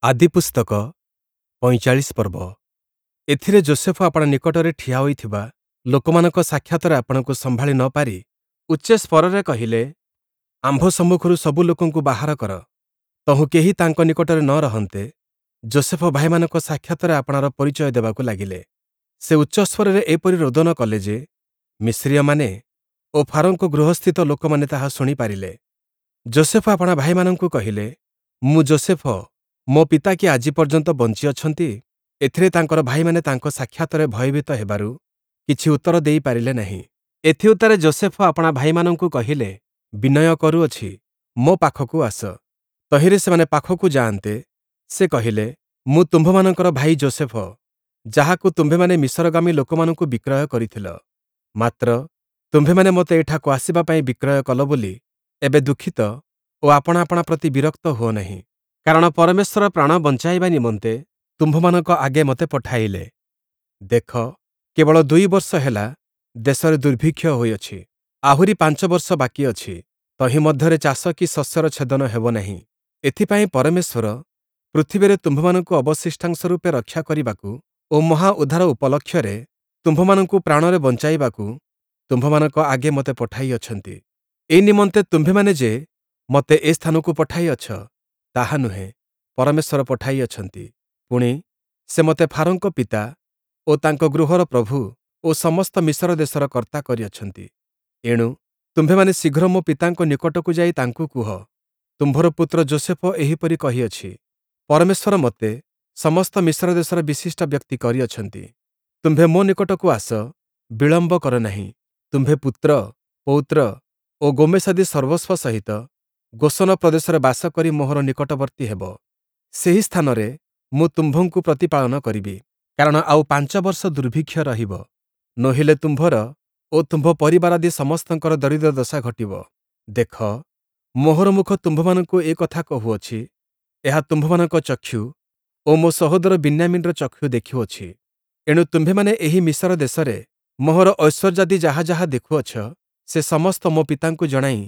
ଆଦିପୁସ୍ତକ ୪୫ ପର୍ବ। ଏଥିରେ ଯୋଷେଫ ଆପଣା ନିକଟରେ ଠିଆ ହୋଇଥିବା ଲୋକମାନଙ୍କ ସାକ୍ଷାତରେ ଆପଣାକୁ ସମ୍ଭାଳି ନ ପାରି ଉଚ୍ଚ ସ୍ୱରରେ କହିଲେ, ଆମ୍ଭ ସମ୍ମୁଖରୁ ସବୁ ଲୋକଙ୍କୁ ବାହାର କର। ତହୁଁ କେହି ତାଙ୍କ ନିକଟରେ ନ ରହନ୍ତେ, ଯୋଷେଫ ଭାଇମାନଙ୍କ ସାକ୍ଷାତରେ ଆପଣାର ପରିଚୟ ଦେବାକୁ ଲାଗିଲେ। ସେ ଉଚ୍ଚସ୍ୱରରେ ଏପରି ରୋଦନ କଲେ ଯେ, ମିସ୍ରୀୟମାନେ ଓ ଫାରୋଙ୍କ ଗୃହସ୍ଥିତ ଲୋକମାନେ ତାହା ଶୁଣିପାରିଲେ। ଯୋଷେଫ ଆପଣା ଭାଇମାନଙ୍କୁ କହିଲେ, ମୁଁ ଯୋଷେଫ, ମୋ ପିତା କି ଆଜି ପର୍ଯ୍ୟନ୍ତ ବଞ୍ଚିଅଛନ୍ତି? ଏଥିରେ ତାଙ୍କର ଭାଇମାନେ ତାଙ୍କ ସାକ୍ଷାତରେ ଭୟଭୀତ ହେବାରୁ କିଛି ଉତ୍ତର ଦେଇପାରିଲେ ନାହିଁ। ଏଥିଉତ୍ତାରେ ଯୋଷେଫ ଆପଣା ଭାଇମାନଙ୍କୁ କହିଲେ, ବିନୟ କରୁଅଛି, ମୋ ପାଖକୁ ଆସ। ତହିଁରେ ସେମାନେ ପାଖକୁ ଯାଆନ୍ତେ, ସେ କହିଲେ, ମୁଁ ତୁମ୍ଭମାନଙ୍କର ଭାଇ ଯୋଷେଫ, ଯାହାକୁ ତୁମ୍ଭେମାନେ ମିଶରଗାମୀ ଲୋକମାନଙ୍କୁ ବିକ୍ରୟ କରିଥିଲ। ମାତ୍ର ତୁମ୍ଭେମାନେ ମୋତେ ଏଠାକୁ ଆସିବା ପାଇଁ ବିକ୍ରୟ କଲ ବୋଲି ଏବେ ଦୁଃଖିତ ଓ ଆପଣା ଆପଣା ପ୍ରତି ବିରକ୍ତ ହୁଅ ନାହିଁ। କାରଣ ପରମେଶ୍ୱର ପ୍ରାଣ ବଞ୍ଚାଇବା ନିମନ୍ତେ ତୁମ୍ଭମାନଙ୍କ ଆଗେ ମୋତେ ପଠାଇଲେ। ଦେଖ, କେବଳ ୨ ବର୍ଷ ହେଲା ଦେଶରେ ଦୁର୍ଭିକ୍ଷ ହୋଇଅଛି। ଆହୁରି ୫ ବର୍ଷ ବାକି ଅଛି, ତହିଁ ମଧ୍ୟରେ ଚାଷ କି ଶସ୍ୟର ଛେଦନ ହେବ ନାହିଁ। ଏଥିପାଇଁ ପରମେଶ୍ୱର ପୃଥିବୀରେ ତୁମ୍ଭମାନଙ୍କୁ ଅବଶିଷ୍ଟାଂଶ ରୂପେ ରକ୍ଷା କରିବାକୁ ଓ ମହା ଉଦ୍ଧାର ଉପଲକ୍ଷରେ ତୁମ୍ଭମାନଙ୍କୁ ପ୍ରାଣରେ ବଞ୍ଚାଇବାକୁ ତୁମ୍ଭମାନଙ୍କ ଆଗେ ମୋତେ ପଠାଇଅଛନ୍ତି। ଏ ନିମନ୍ତେ ତୁମ୍ଭେମାନେ ଯେ ମୋତେ ଏ ସ୍ଥାନକୁ ପଠାଇଅଛ, ତାହା ନୁହେଁ, ପରମେଶ୍ୱର ପଠାଇଅଛନ୍ତି। ପୁଣି, ସେ ମୋତେ ଫାରୋଙ୍କ ପିତା ଓ ତାଙ୍କ ଗୃହର ପ୍ରଭୁ ଓ ସମସ୍ତ ମିଶର ଦେଶର କର୍ତ୍ତା କରିଅଛନ୍ତି। ଏଣୁ ତୁମ୍ଭେମାନେ ଶୀଘ୍ର ମୋ ପିତାଙ୍କ ନିକଟକୁ ଯାଇ ତାଙ୍କୁ କୁହ, ତୁମ୍ଭର ପୁତ୍ର ଯୋଷେଫ ଏହିପରି କହିଅଛି, ପରମେଶ୍ୱର ମୋତେ ସମସ୍ତ ମିଶର ଦେଶର ବିଶିଷ୍ଟ ବ୍ୟକ୍ତି କରିଅଛନ୍ତି। ତୁମ୍ଭେ ମୋ ନିକଟକୁ ଆସ, ବିଳମ୍ବ କର ନାହିଁ। ତୁମ୍ଭେ ପୁତ୍ର, ପୌତ୍ର ଓ ଗୋମେଶାଦି ସର୍ବସ୍ୱ ସହିତ ଗୋଶନ ପ୍ରଦେଶରେ ବାସ କରି ମୋହର ନିକଟବର୍ତ୍ତୀ ହେବ। ସେହି ସ୍ଥାନରେ ମୁଁ ତୁମ୍ଭଙ୍କୁ ପ୍ରତିପାଳନ କରିବି। କାରଣ ଆଉ ୫ ବର୍ଷ ଦୁର୍ଭିକ୍ଷ ରହିବ, ନୋହିଲେ ତୁମ୍ଭର ଓ ତୁମ୍ଭ ପରିବାରାଦି ସମସ୍ତଙ୍କର ଦରିଦ୍ର ଦଶା ଘଟିବ। ଦେଖ, ମୋହର ମୁଖ ତୁମ୍ଭମାନଙ୍କୁ ଏ କଥା କହୁଅଛି, ଏହା ତୁମ୍ଭମାନଙ୍କ ଚକ୍ଷୁ ଓ ମୋ ସହୋଦର ବିନ୍ୟାମୀନର ଚକ୍ଷୁ ଦେଖୁଅଛି। ଏଣୁ ତୁମ୍ଭେମାନେ ଏହି ମିଶର ଦେଶରେ ମୋହର ଐଶ୍ୱର୍ଯ୍ୟାଦି ଯାହା ଯାହା ଦେଖୁଅଛ, ସେ ସମସ୍ତ ମୋ ପିତାଙ୍କୁ ଜଣାଇ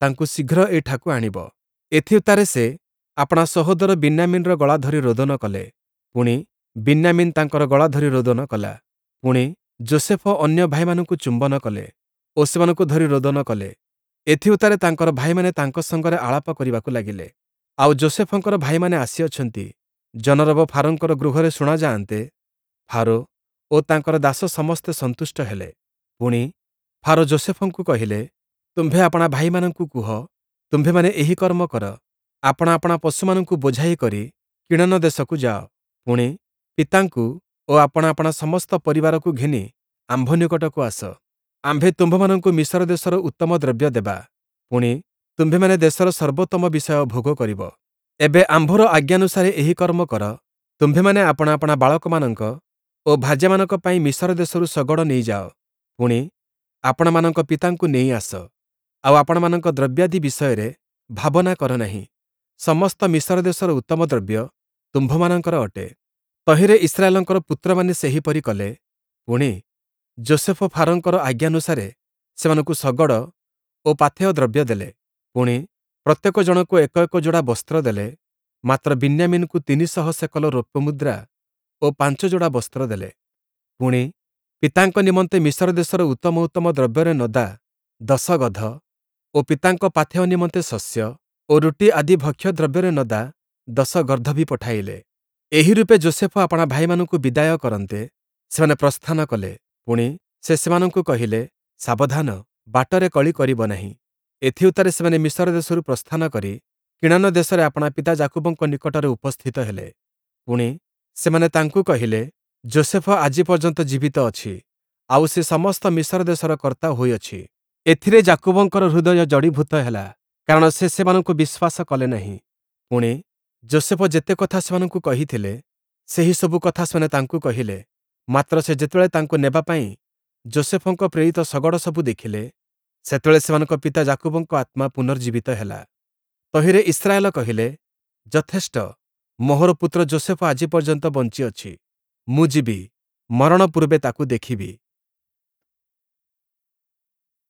ତାଙ୍କୁ ଶୀଘ୍ର ଏଠାକୁ ଆଣିବ। ଏଥିଉତ୍ତାରେ ସେ ଆପଣା ସହୋଦର ବିନ୍ୟାମୀନର ଗଳା ଧରି ରୋଦନ କଲେ। ପୁଣି, ବିନ୍ୟାମୀନ ତାଙ୍କର ଗଳା ଧରି ରୋଦନ କଲା। ପୁଣି, ଯୋଷେଫ ଅନ୍ୟ ଭାଇମାନଙ୍କୁ ଚୁମ୍ବନ କଲେ ଓ ସେମାନଙ୍କୁ ଧରି ରୋଦନ କଲେ। ଏଥିଉତ୍ତାରେ ତାଙ୍କର ଭାଇମାନେ ତାଙ୍କ ସଙ୍ଗରେ ଆଳାପ କରିବାକୁ ଲାଗିଲେ। ଆଉ ଯୋଷେଫଙ୍କର ଭାଇମାନେ ଆସିଅଛନ୍ତି, ଜନରବ ଫାରୋଙ୍କର ଗୃହରେ ଶୁଣାଯାଆନ୍ତେ, ଫାରୋ ଓ ତାଙ୍କର ଦାସ ସମସ୍ତେ ସନ୍ତୁଷ୍ଟ ହେଲେ। ପୁଣି, ଫାରୋ ଯୋଷେଫଙ୍କୁ କହିଲେ, ତୁମ୍ଭେ ଆପଣା ଭାଇମାନଙ୍କୁ କୁହ, ତୁମ୍ଭେମାନେ ଏହି କର୍ମ କର, ଆପଣା ଆପଣା ପଶୁମାନଙ୍କୁ ବୋଝାଇ କରି କିଣାନ ଦେଶକୁ ଯାଅ। ପୁଣି, ପିତାଙ୍କୁ ଓ ଆପଣା ଆପଣା ସମସ୍ତ ପରିବାରକୁ ଘେନି ଆମ୍ଭ ନିକଟକୁ ଆସ। ଆମ୍ଭେ ତୁମ୍ଭମାନଙ୍କୁ ମିଶର ଦେଶର ଉତ୍ତମ ଦ୍ରବ୍ୟ ଦେବା। ପୁଣି, ତୁମ୍ଭେମାନେ ଦେଶର ସର୍ବୋତ୍ତମ ବିଷୟ ଭୋଗ କରିବ। ଏବେ ଆମ୍ଭର ଆଜ୍ଞାନୁସାରେ ଏହି କର୍ମ କର। ତୁମ୍ଭେମାନେ ଆପଣା ଆପଣା ବାଳକମାନଙ୍କ ଓ ଭାର୍ଯ୍ୟାମାନଙ୍କ ପାଇଁ ମିଶର ଦେଶରୁ ଶଗଡ଼ ନେଇଯାଅ। ପୁଣି, ଆପଣମାନଙ୍କ ପିତାଙ୍କୁ ନେଇ ଆସ। ଆଉ ଆପଣମାନଙ୍କ ଦ୍ରବ୍ୟାଦି ବିଷୟରେ ଭାବନା କର ନାହିଁ। ସମସ୍ତ ମିଶର ଦେଶର ଉତ୍ତମ ଦ୍ରବ୍ୟ ତୁମ୍ଭମାନଙ୍କର ଅଟେ। ତହିଁରେ ଇସ୍ରାଏଲଙ୍କର ପୁତ୍ରମାନେ ସେହିପରି କଲେ। ପୁଣି, ଯୋଷେଫ ଫାରୋଙ୍କର ଆଜ୍ଞାନୁସାରେ ସେମାନଙ୍କୁ ଶଗଡ଼ ଓ ପାଥେୟ ଦ୍ରବ୍ୟ ଦେଲେ। ପୁଣି, ପ୍ରତ୍ୟେକ ଜଣକୁ ଏକ ଏକ ଯୋଡ଼ା ବସ୍ତ୍ର ଦେଲେ, ମାତ୍ର ବିନ୍ୟାମୀନକୁ ୩୦୦ ସେକଲ ରୌପ୍ୟ ମୁଦ୍ରା ଓ ୫ ଯୋଡ଼ା ବସ୍ତ୍ର ଦେଲେ। ପୁଣି, ପିତାଙ୍କ ନିମନ୍ତେ ମିଶର ଦେଶର ଉତ୍ତମ ଉତ୍ତମ ଦ୍ରବ୍ୟରେ ନଦା ୧୦ ଗଧ ଓ ପିତାଙ୍କ ପାଥେୟ ନିମନ୍ତେ ଶସ୍ୟ ଓ ରୁଟି ଆଦି ଭକ୍ଷ୍ୟ ଦ୍ରବ୍ୟରେ ନଦା ୧୦ ଗର୍ଦ୍ଦଭୀ ପଠାଇଲେ। ଏହି ରୂପେ ଯୋଷେଫ ଆପଣା ଭାଇମାନଙ୍କୁ ବିଦାୟ କରନ୍ତେ, ସେମାନେ ପ୍ରସ୍ଥାନ କଲେ। ପୁଣି, ସେ ସେମାନଙ୍କୁ କହିଲେ, ସାବଧାନ, ବାଟରେ କଳି କରିବ ନାହିଁ। ଏଥିଉତ୍ତାରେ ସେମାନେ ମିଶର ଦେଶରୁ ପ୍ରସ୍ଥାନ କରି କିଣାନ ଦେଶରେ ଆପଣା ପିତା ଯାକୁବଙ୍କ ନିକଟରେ ଉପସ୍ଥିତ ହେଲେ। ପୁଣି, ସେମାନେ ତାଙ୍କୁ କହିଲେ, ଯୋଷେଫ ଆଜି ପର୍ଯ୍ୟନ୍ତ ଜୀବିତ ଅଛି, ଆଉ ସେ ସମସ୍ତ ମିଶର ଦେଶର କର୍ତ୍ତା ହୋଇଅଛି। ଏଥିରେ ଯାକୁବଙ୍କର ହୃଦୟ ଜଡ଼ୀଭୂତ ହେଲା, କାରଣ ସେ ସେମାନଙ୍କୁ ବିଶ୍ୱାସ କଲେ ନାହିଁ। ପୁଣି, ଯୋଷେଫ ଯେତେ କଥା ସେମାନଙ୍କୁ କହିଥିଲେ, ସେହି ସବୁ କଥା ସେମାନେ ତାଙ୍କୁ କହିଲେ। ମାତ୍ର ସେ ଯେତେବେଳେ ତାଙ୍କୁ ନେବା ପାଇଁ ଯୋଷେଫଙ୍କ ପ୍ରେରିତ ଶଗଡ଼ ସବୁ ଦେଖିଲେ, ସେତେବେଳେ ସେମାନଙ୍କ ପିତା ଯାକୁବଙ୍କ ଆତ୍ମା ପୁନର୍ଜୀବିତ ହେଲା। ତହିଁରେ ଇସ୍ରାଏଲ କହିଲେ, ଯଥେଷ୍ଟ, ମୋହର ପୁତ୍ର ଯୋଷେଫ ଆଜି ପର୍ଯ୍ୟନ୍ତ ବଞ୍ଚିଅଛି। ମୁଁ ଯିବି, ମରଣ ପୂର୍ବେ ତାକୁ ଦେଖିବି।